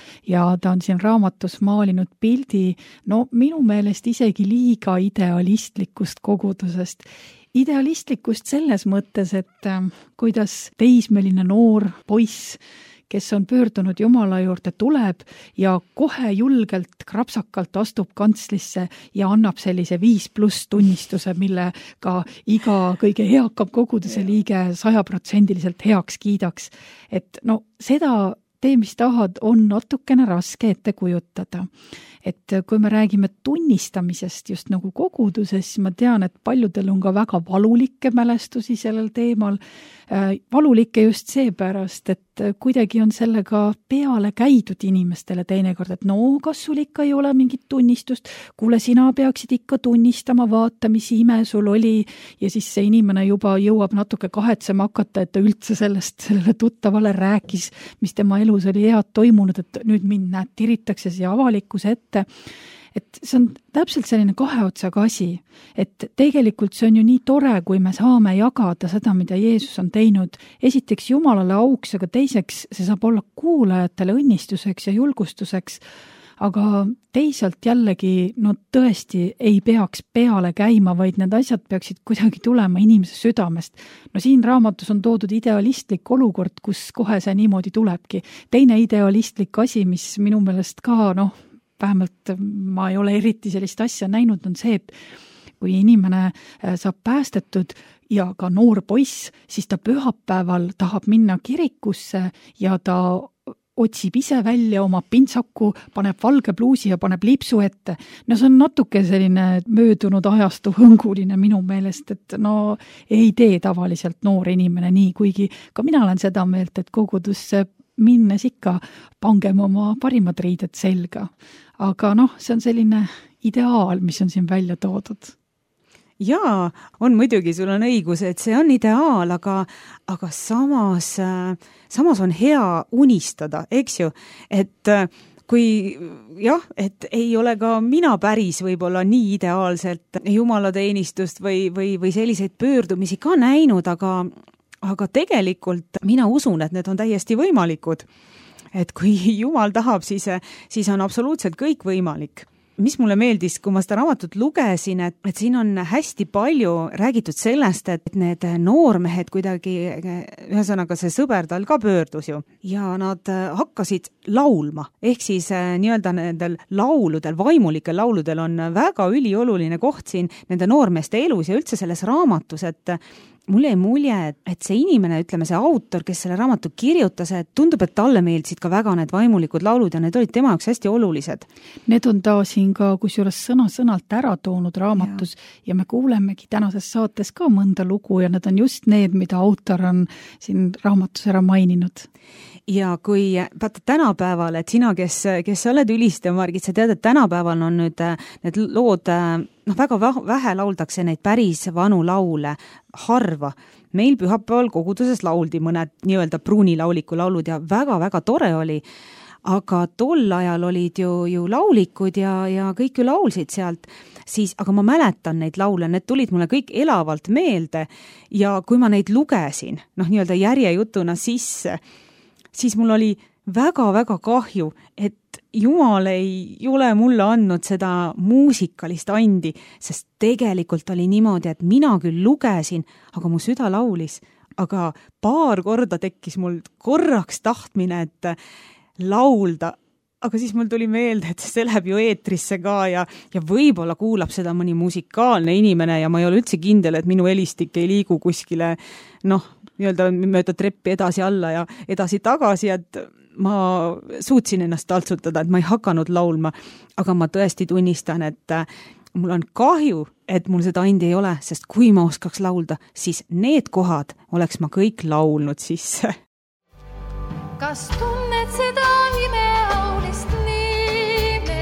ta on siin raamatus maalinud pildi, no minu meelest isegi liiga idealistlikust kogudusest. Idealistlikust selles mõttes, et kuidas teismeline noor poiss, kes on pöördunud Jumala juurde, tuleb ja kohe julgelt, krapsakalt astub kantslisse ja annab sellise 5+ tunnistuse, millega iga kõige eakam koguduse liige 100% heaks kiidaks. Et no seda tee, mis tahad, on natukene raske ette kujutada. Et kui me räägime tunnistamisest just nagu koguduses, siis ma tean, et paljudel on ka väga valulikke mälestusi sellel teemal. Valulikke just seepärast, et kuidagi on sellega peale käidud inimestele teinekord, et no, kas sul ikka ei ole mingit tunnistust, kuule, sina peaksid ikka tunnistama, vaata, mis ime sul oli, ja siis see inimene juba jõuab natuke kahetsema hakata, et ta üldse sellele tuttavale rääkis, mis tema elus oli head toimunud, et nüüd mind tiritakse siia avalikkuse ette. Et see on täpselt selline kahe otsaga asi, et tegelikult see on ju nii tore, kui me saame jagada seda, mida Jeesus on teinud. Esiteks Jumalale auks, aga teiseks see saab olla kuulajatele õnnistuseks ja julgustuseks, aga teisalt jällegi, no tõesti ei peaks peale käima, vaid need asjad peaksid kuidagi tulema inimese südamest. No siin raamatus on toodud idealistlik olukord, kus kohe see niimoodi tulebki. Teine idealistlik asi, mis minu meelest ka, vähemalt ma ei ole eriti sellist asja näinud, on see, et kui inimene saab päästetud ja ka noor poiss, siis ta pühapäeval tahab minna kirikusse ja ta otsib ise välja oma pintsaku, paneb valge pluusi ja paneb lipsu ette. No see on natuke selline möödunud ajastu hõnguline minu meelest, et no ei tee tavaliselt noor inimene nii, kuigi ka mina olen seda meelt, et kogudusse minnes ikka pangem oma parimad riided selga. Aga see on selline ideaal, mis on siin välja toodud. Jaa, on muidugi, sul on õigus, et see on ideaal, aga samas on hea unistada, eks ju, et kui et ei ole ka mina päris võib-olla nii ideaalselt jumalateenistust või selliseid pöördumisi ka näinud, aga tegelikult mina usun, et need on täiesti võimalikud. Et kui Jumal tahab, siis on absoluutselt kõik võimalik. Mis mulle meeldis, kui ma seda raamatut lugesin, et siin on hästi palju räägitud sellest, et need noormehed kuidagi, ühesõnaga see sõber tal ka pöördus ju, ja nad hakkasid laulma. Ehk siis nii-öelda nendel lauludel, vaimulikel lauludel on väga ülioluline koht siin nende noormeeste elus ja üldse selles raamatus, et mulle jäi mulje, et see inimene, ütleme see autor, kes selle raamatu kirjutas, et tundub, et talle meeldisid ka väga need vaimulikud laulud ja need olid tema jaoks hästi olulised. Need on ta siin ka kusjuures sõna-sõnalt ära toonud raamatus ja me kuulemegi tänases saates ka mõnda lugu ja need on just need, mida autor on siin raamatus ära maininud. Ja kui vaata tänapäeval, et sina, kes sa oled ülistaja, Margit, sa tead, et tänapäeval on nüüd need lood, väga vähe lauldakse neid päris vanu laule, harva. Meil pühapäeval koguduses lauldi mõned nii-öelda pruunilauliku laulud ja väga-väga tore oli, aga tol ajal olid ju laulikud ja kõik ju laulsid sealt, aga ma mäletan neid laule, need tulid mulle kõik elavalt meelde ja kui ma neid lugesin, nii-öelda järjejutuna sisse, siis mul oli väga-väga kahju, et Jumal ei ole mulle andnud seda muusikalist andi, sest tegelikult oli niimoodi, et mina küll lugesin, aga mu süda laulis, aga paar korda tekkis mul korraks tahtmine, et laulda, aga siis mul tuli meelde, et see läheb ju eetrisse ka ja võib-olla kuulab seda mõni musikaalne inimene ja ma ei ole üldse kindel, et minu helistik ei liigu kuskile, nii-öelda mööda treppi edasi alla ja edasi tagasi, et ma suutsin ennast taltsutada, et ma ei hakanud laulma, aga ma tõesti tunnistan, et mul on kahju, et mul seda andi ei ole, sest kui ma oskaks laulda, siis need kohad oleks ma kõik laulnud sisse. Kas tunned seda imeaulist nime?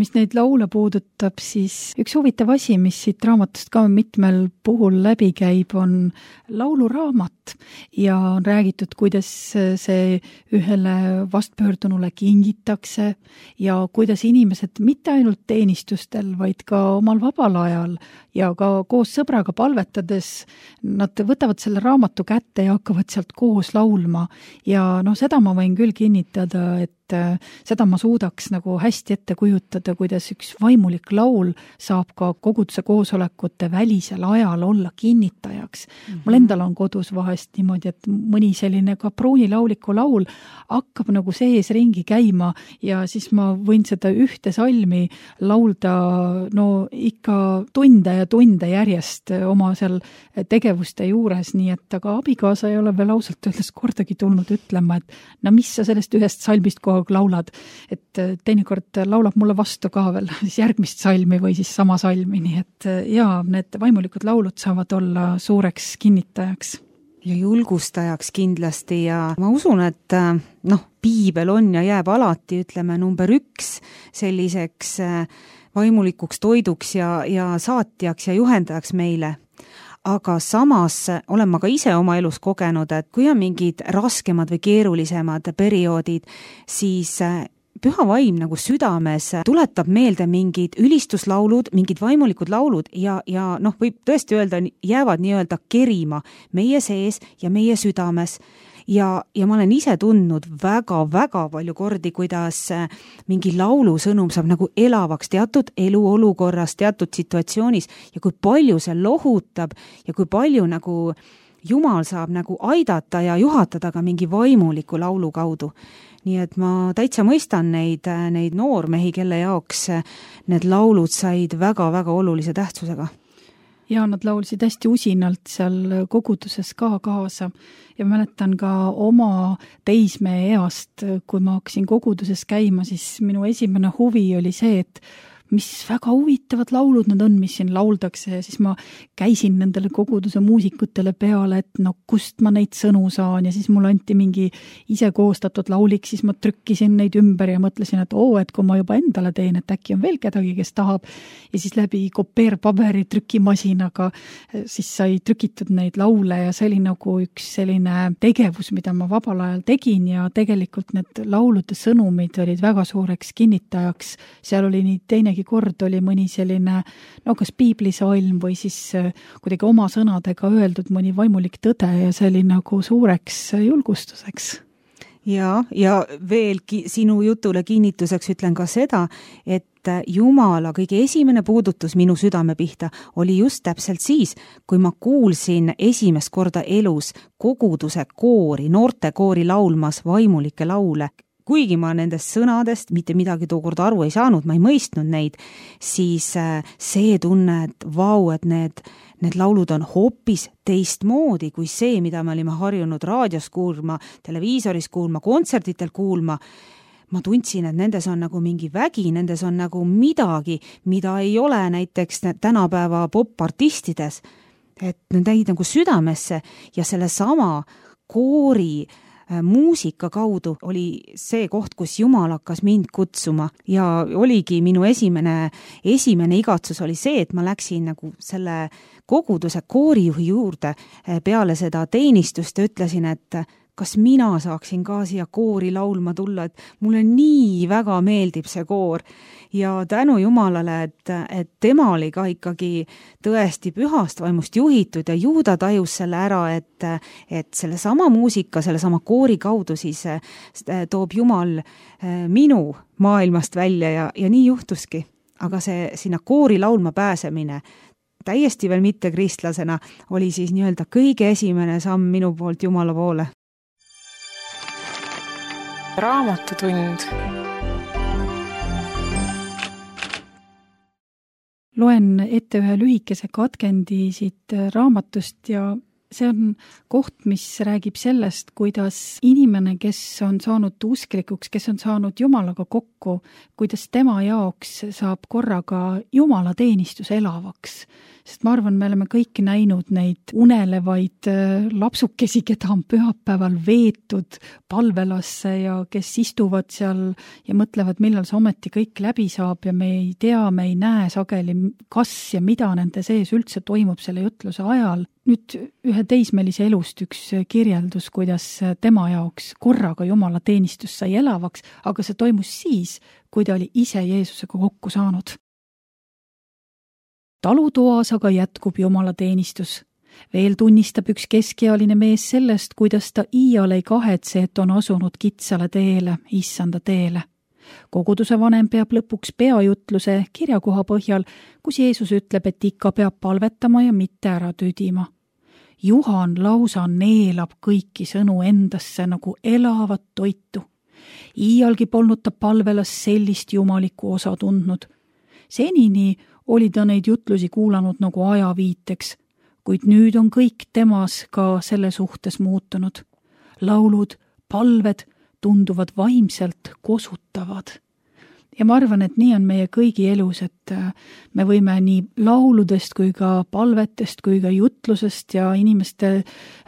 mis neid laule puudutab, siis üks huvitav asi, mis siit raamatust ka mitmel puhul läbi käib, on lauluraamat ja on räägitud, kuidas see ühele vastpöördunule kingitakse ja kuidas inimesed mitte ainult teenistustel, vaid ka omal vabal ajal ja ka koos sõbraga palvetades, nad võtavad selle raamatu kätte ja hakkavad sealt koos laulma ja seda ma võin küll kinnitada, et seda ma suudaks nagu hästi ette kujutada, kuidas üks vaimulik laul saab ka koguduse koosolekute välisel ajal olla kinnitajaks. Mul endal on kodus vahest niimoodi, et mõni selline ka pruunilauliku laul hakkab nagu sees ringi käima ja siis ma võin seda ühte salmi laulda ikka tunde ja tunde järjest oma seal tegevuste juures, nii et aga abikaasa ei ole veel ausalt öeldes kordagi tulnud ütlema, et mis sa sellest ühest salmist kogu aeg laulad, et teinekord laulab mulle vastu ka veel siis järgmist salmi või siis sama salmi, nii et need vaimulikud laulud saavad olla suureks kinnitajaks. Ja julgustajaks kindlasti ja ma usun, et piibel on ja jääb alati, ütleme, number 1 selliseks vaimulikuks toiduks ja saatjaks ja juhendajaks meile. Aga samas olen ma ka ise oma elus kogenud, et kui on mingid raskemad või keerulisemad perioodid, siis püha vaim nagu südames tuletab meelde mingid ülistuslaulud, mingid vaimulikud laulud ja võib tõesti öelda, jäävad nii-öelda kerima meie sees ja meie südames. Ja ma olen ise tundnud väga-väga palju kordi, kuidas mingi laulusõnum saab nagu elavaks teatud eluolukorras, teatud situatsioonis ja kui palju see lohutab ja kui palju nagu Jumal saab nagu aidata ja juhatada ka mingi vaimuliku laulu kaudu. Nii et ma täitsa mõistan neid noormehi, kelle jaoks need laulud said väga-väga olulise tähtsusega. Ja nad laulsid hästi usinalt seal koguduses ka kaasa ja mäletan ka oma teismee east, kui ma hakkasin koguduses käima, siis minu esimene huvi oli see, et mis väga huvitavad laulud nad on, mis siin lauldakse ja siis ma käisin nendele koguduse muusikutele peale, et kust ma neid sõnu saan ja siis mul anti mingi ise koostatud laulik, siis ma trükkisin neid ümber ja mõtlesin, et et kui ma juba endale teen, et äkki on veel kedagi, kes tahab ja siis läbi kopeerpaberi trükimasinaga siis sai trükitud neid laule ja see oli nagu üks selline tegevus, mida ma vabal ajal tegin ja tegelikult need laulude sõnumid olid väga suureks kinnitajaks, seal oli nii teinegi kord oli mõni selline, kas piiblisalm või siis kuidagi oma sõnadega öeldud mõni vaimulik tõde ja see oli nagu suureks julgustuseks. Ja veel sinu jutule kinnituseks ütlen ka seda, et Jumala kõige esimene puudutus minu südame pihta oli just täpselt siis, kui ma kuulsin esimest korda elus koguduse koori, noortekoori laulmas vaimulikke laule. Kuigi ma nendest sõnadest mitte midagi tookord aru ei saanud, ma ei mõistnud neid, siis see tunne, et et need laulud on hoopis teistmoodi kui see, mida me olime harjunud raadios kuulma, televiisoris kuulma, kontsertitel kuulma. Ma tundsin, et nendes on nagu mingi vägi, nendes on nagu midagi, mida ei ole näiteks tänapäeva popartistides. Et need jäid nagu südamesse ja selle sama koori muusika kaudu oli see koht, kus Jumal hakkas mind kutsuma ja oligi minu esimene igatsus oli see, et ma läksin nagu selle koguduse koorijuhi juurde peale seda teenistust ja ütlesin, et kas mina saaksin ka siia koori laulma tulla, et mulle nii väga meeldib see koor ja tänu Jumalale, et tema oli ka ikkagi tõesti pühast vaimust juhitud ja ju ta tajus selle ära, et selle sama muusika, selle sama koori kaudu siis toob Jumal minu maailmast välja ja nii juhtuski. Aga see sinna koori laulma pääsemine täiesti veel mitte kristlasena oli siis nii-öelda kõige esimene samm minu poolt Jumala poole. Raamatutund. Loen ette ühe lühikese katkendi siit raamatust ja see on koht, mis räägib sellest, kuidas inimene, kes on saanud usklikuks, kes on saanud Jumalaga kokku, kuidas tema jaoks saab korraga Jumala teenistus elavaks. sest ma arvan, me oleme kõik näinud neid unelevaid lapsukesi, keda on pühapäeval veetud palvelasse ja kes istuvad seal ja mõtlevad, millal see ometi kõik läbi saab ja me ei tea, me ei näe sageli, kas ja mida nende sees üldse toimub selle jutluse ajal. Nüüd ühe teismelise elust üks kirjeldus, kuidas tema jaoks korraga Jumala teenistus sai elavaks, aga see toimus siis, kui ta oli ise Jeesusega kokku saanud. Talutoas aga jätkub Jumala teenistus. Veel tunnistab üks keskealine mees sellest, kuidas ta iial ei kahetse, et on asunud kitsale teele, issanda teele. Koguduse vanem peab lõpuks peajutluse kirjakoha põhjal, kus Jeesus ütleb, et ikka peab palvetama ja mitte ära tüdima. Juhan lausa neelab kõiki sõnu endasse nagu elavat toitu. Iialgi polnud ta palvelas sellist jumalikku osa tundnud. Senini oli ta neid jutlusi kuulanud nagu ajaviiteks, kuid nüüd on kõik temas ka selle suhtes muutunud. Laulud, palved tunduvad vaimselt kosutavad. Ja ma arvan, et nii on meie kõigi elus, et me võime nii lauludest kui ka palvetest kui ka jutlusest ja inimeste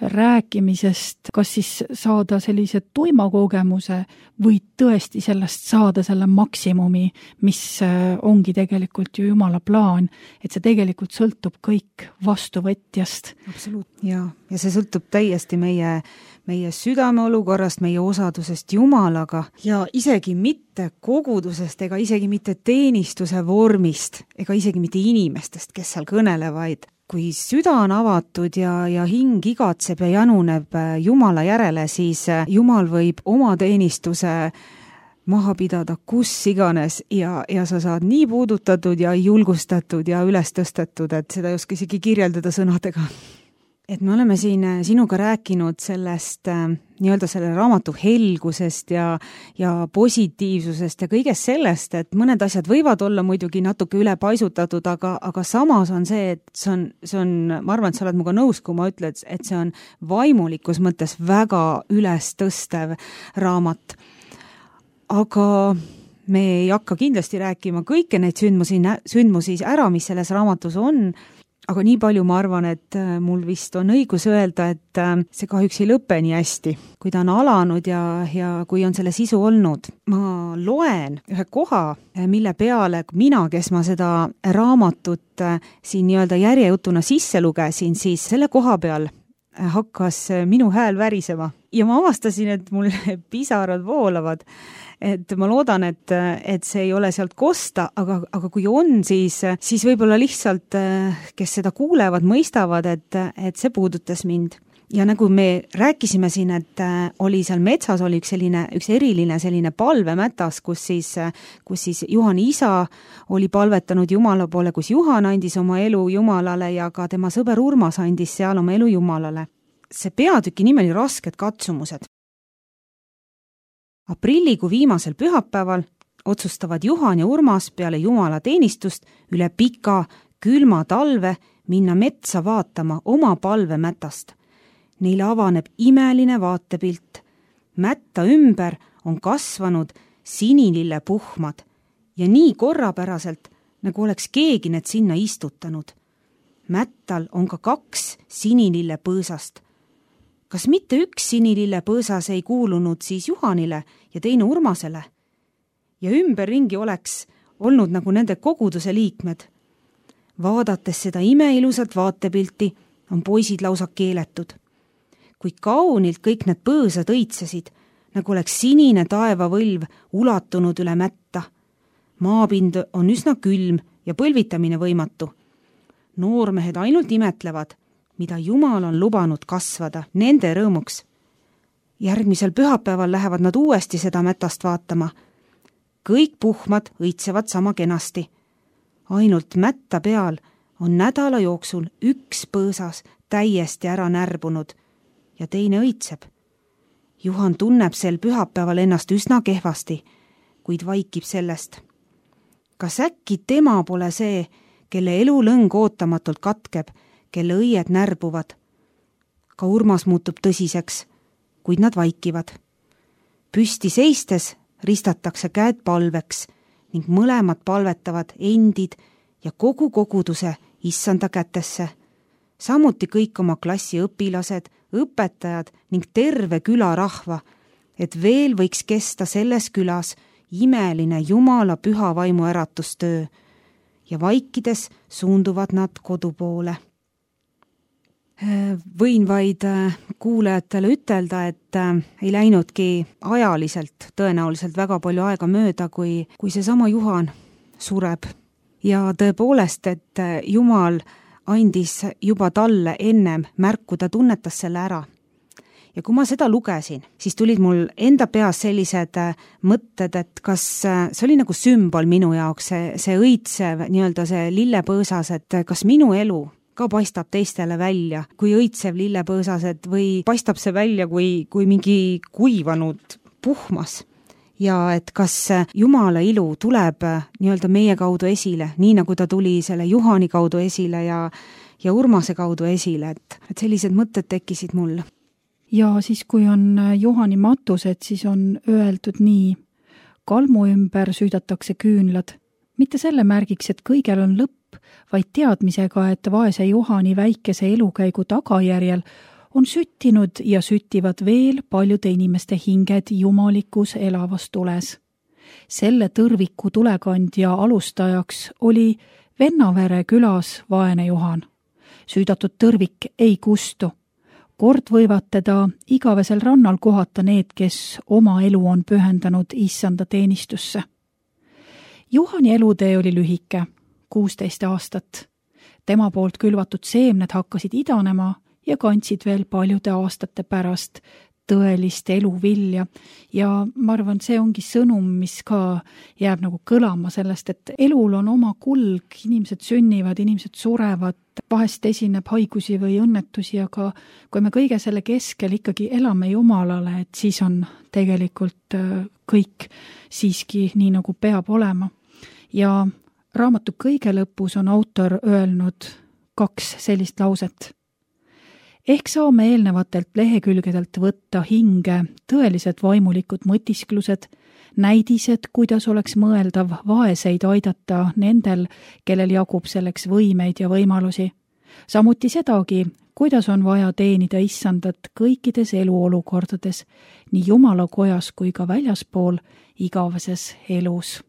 rääkimisest kas siis saada sellise tuima kogemuse või tõesti sellest saada selle maksimumi, mis ongi tegelikult ju Jumala plaan, et see tegelikult sõltub kõik vastuvõtjast. Absoluut, ja see sõltub täiesti meie südame olukorrast, meie osadusest Jumalaga ja isegi mitte kogudusest ega isegi mitte teenistuse vormist ega isegi mitte inimestest, kes seal kõnelevaid. Kui süda on avatud ja hing igatseb ja januneb Jumala järele, siis Jumal võib oma teenistuse maha pidada kus iganes ja sa saad nii puudutatud ja julgustatud ja üles tõstetud, et seda ei oska isegi kirjeldada sõnadega. Et me oleme siin sinuga rääkinud sellest nii-öelda selle raamatu helgusest ja positiivsusest ja kõigest sellest, et mõned asjad võivad olla muidugi natuke üle paisutatud, aga samas on see, et see on, ma arvan, et sa oled minuga nõus, kui ma ütlen, et see on vaimulikus mõttes väga üles tõstev raamat. Aga me ei hakka kindlasti rääkima kõike neid sündmusi ära, mis selles raamatus on, aga nii palju ma arvan, et mul vist on õigus öelda, et see kahjuks ei lõpe nii hästi, kui ta on alanud ja kui on selle sisu olnud. Ma loen ühe koha, mille peale mina, kes ma seda raamatut siin nii-öelda järjejutuna sisse lugesin, siis selle koha peal hakkas minu hääl värisema ja ma avastasin, et mul pisarad voolavad. Et ma loodan, et see ei ole sealt kosta, aga kui on, siis võib-olla lihtsalt, kes seda kuulevad, mõistavad, et see puudutas mind. Ja nagu me rääkisime siin, et oli seal metsas oli üks eriline selline palvemätas, kus siis Juhani isa oli palvetanud Jumala poole, kus Juhan andis oma elu Jumalale ja ka tema sõber Urmas andis seal oma elu Jumalale. See peatüki nimi oli Rasked katsumused. Aprillikuu viimasel pühapäeval otsustavad Juhan ja Urmas peale Jumala teenistust üle pika, külma talve minna metsa vaatama oma palvemätast. Neile avaneb imeline vaatepilt. Mätta ümber on kasvanud sinilille puhmad ja nii korrapäraselt, nagu oleks keegi need sinna istutanud. Mättal on ka 2 sinilille põõsast. Kas mitte üks sinilille põõsas ei kuulunud siis Juhanile ja teine Urmasele? Ja ümberringi oleks olnud nagu nende koguduse liikmed. Vaadates seda imeilusat vaatepilti on poisid lausa keeletud. Kui kaunilt kõik need põõsad õitsesid, nagu oleks sinine taevavõlv ulatunud üle mätta. Maapind on üsna külm ja põlvitamine võimatu. Noormehed ainult imetlevad, mida Jumal on lubanud kasvada nende rõõmuks. Järgmisel pühapäeval lähevad nad uuesti seda mätast vaatama. Kõik puhmad õitsevad sama kenasti. Ainult mätta peal on nädala jooksul 1 põõsas täiesti ära närbunud ja teine õitseb. Juhan tunneb sel pühapäeval ennast üsna kehvasti, kuid vaikib sellest. Kas äkki tema pole see, kelle elulõng ootamatult katkeb, kelle õied närbuvad? Ka Urmas muutub tõsiseks, kuid nad vaikivad. Püsti seistes ristatakse käed palveks ning mõlemad palvetavad endid ja kogu koguduse issanda kätesse. Samuti kõik oma klassi õpilased, õpetajad ning terve külarahva, et veel võiks kesta selles külas imeline Jumala püha vaimu äratustöö ja vaikides suunduvad nad kodu poole. Võin vaid kuulajatele ütelda, et ei läinudki ajaliselt tõenäoliselt väga palju aega mööda, kui seesama Juhan sureb. Ja tõepoolest, et Jumal andis juba talle ennem märku, ta tunnetas selle ära. Ja kui ma seda lugesin, siis tulid mul enda peas sellised mõtted, et kas see oli nagu sümbol minu jaoks, see õitsev, nii-öelda see lillepõõsas, et kas minu elu ka paistab teistele välja kui õitsev lillepõõsased või paistab see välja kui mingi kuivanud puhmas. Ja et kas Jumala ilu tuleb nii-öelda meie kaudu esile, nii nagu ta tuli selle Juhani kaudu esile ja Urmase kaudu esile, et sellised mõtted tekkisid mul. Ja siis, kui on Juhani matused, siis on öeldud nii, kalmu ümber süüdatakse küünlad, mitte selle märgiks, et kõigel on lõpp, vaid teadmisega, et vaese Juhani väikese elukäigu tagajärjel on süttinud ja süttivad veel paljude inimeste hinged jumalikus elavas tules. Selle tõrviku tulekandja alustajaks oli Vennavere külas vaene Juhan. Süüdatud tõrvik ei kustu. Kord võivad teda igavesel rannal kohata need, kes oma elu on pühendanud issanda teenistusse. Juhani elutee oli lühike, 16 aastat. Tema poolt külvatud seemned hakkasid idanema ja kandsid veel paljude aastate pärast tõelist eluvilja. Ja ma arvan, see ongi sõnum, mis ka jääb nagu kõlama sellest, et elul on oma kulg, inimesed sünnivad, inimesed surevad, vahest esineb haigusi või õnnetusi, aga kui me kõige selle keskel ikkagi elame Jumalale, et siis on tegelikult kõik siiski nii, nagu peab olema. Ja raamatu kõige lõpus on autor öelnud 2 sellist lauset. Ehk saame eelnevatelt lehekülgedelt võtta hinge tõelised vaimulikud mõtisklused, näidised, kuidas oleks mõeldav vaeseid aidata nendel, kellel jagub selleks võimeid ja võimalusi. Samuti sedagi, kuidas on vaja teenida issandat kõikides eluolukordades, nii Jumala kojas kui ka väljaspool igaveses elus.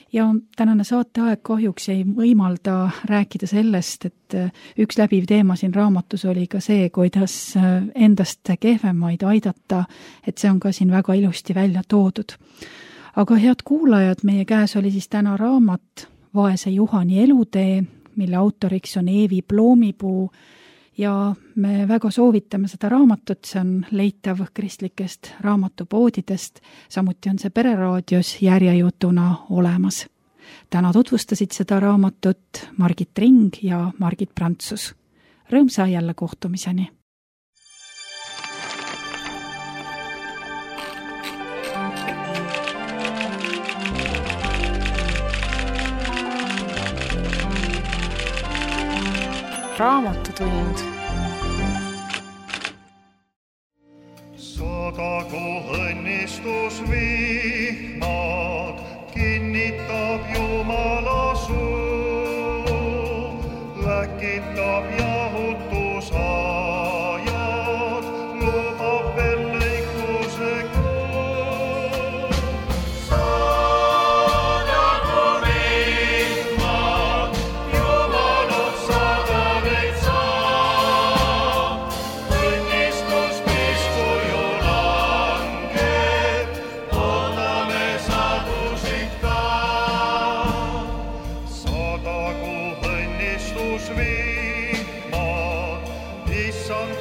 Ja tänane saateaeg kahjuks ei võimalda rääkida sellest, et üks läbiv teema siin raamatus oli ka see, kuidas endast kehvemaid aidata, et see on ka siin väga ilusti välja toodud. Aga head kuulajad, meie käes oli siis täna raamat Vaese Juhani elutee, mille autoriks on Eevi Ploomipuu ja me väga soovitame seda raamatut, see on leitav kristlikest raamatupoodidest, samuti on see Pereraadios järjejutuna olemas. Täna tutvustasid seda raamatut Margit Ring ja Margit Prantsus. Rõõmsa jälle kohtumiseni! Raamatutund. Sadagu õnnistus vihmad, kinnitab Jumala suu, läkitab jahutusajad, lubab veel lõikuse kuu. Sadagu vihmad, Jumalad sadaneid saab, õnnistus pisku ju langeb, ootame sadusid ka. Sadagu õnnistus vihmad, issand